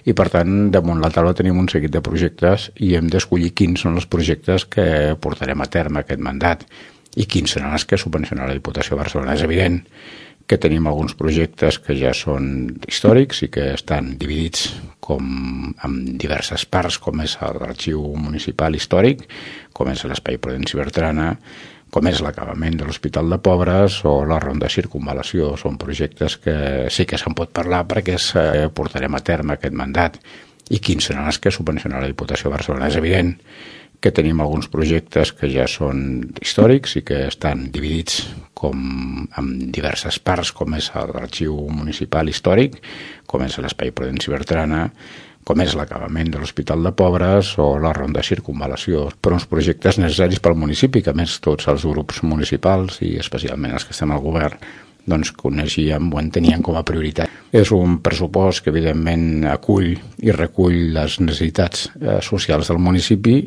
i per tant damunt la taula tenim un seguit de projectes i hem d'escollir quins són els projectes que portarem a terme aquest mandat i quins seran els que subvencionarà la Diputació de Barcelona. És evident que tenim alguns projectes que ja són històrics i que estan dividits en diverses parts, com és l'Arxiu Municipal Històric, com és l'Espai Prudenci Bertrana, com és l'acabament de l'Hospital de Pobres o la Ronda Circunvalació. Són projectes que sí que se'n pot parlar perquè portarem a terme aquest mandat i quins seran els que subvencionarà la Diputació de Barcelona. És evident que tenim alguns projectes que ja són històrics i que estan dividits en diverses parts, com és l'Arxiu Municipal Històric, com és l'Espai Prudenci Bertrana, com és l'acabament de l'Hospital de Pobres o la Ronda Circunvalació. Però uns projectes necessaris pel municipi, que a més tots els grups municipals i especialment els que estem al govern doncs coneixíem o enteníem com a prioritat. És un pressupost que evidentment acull i recull les necessitats socials del municipi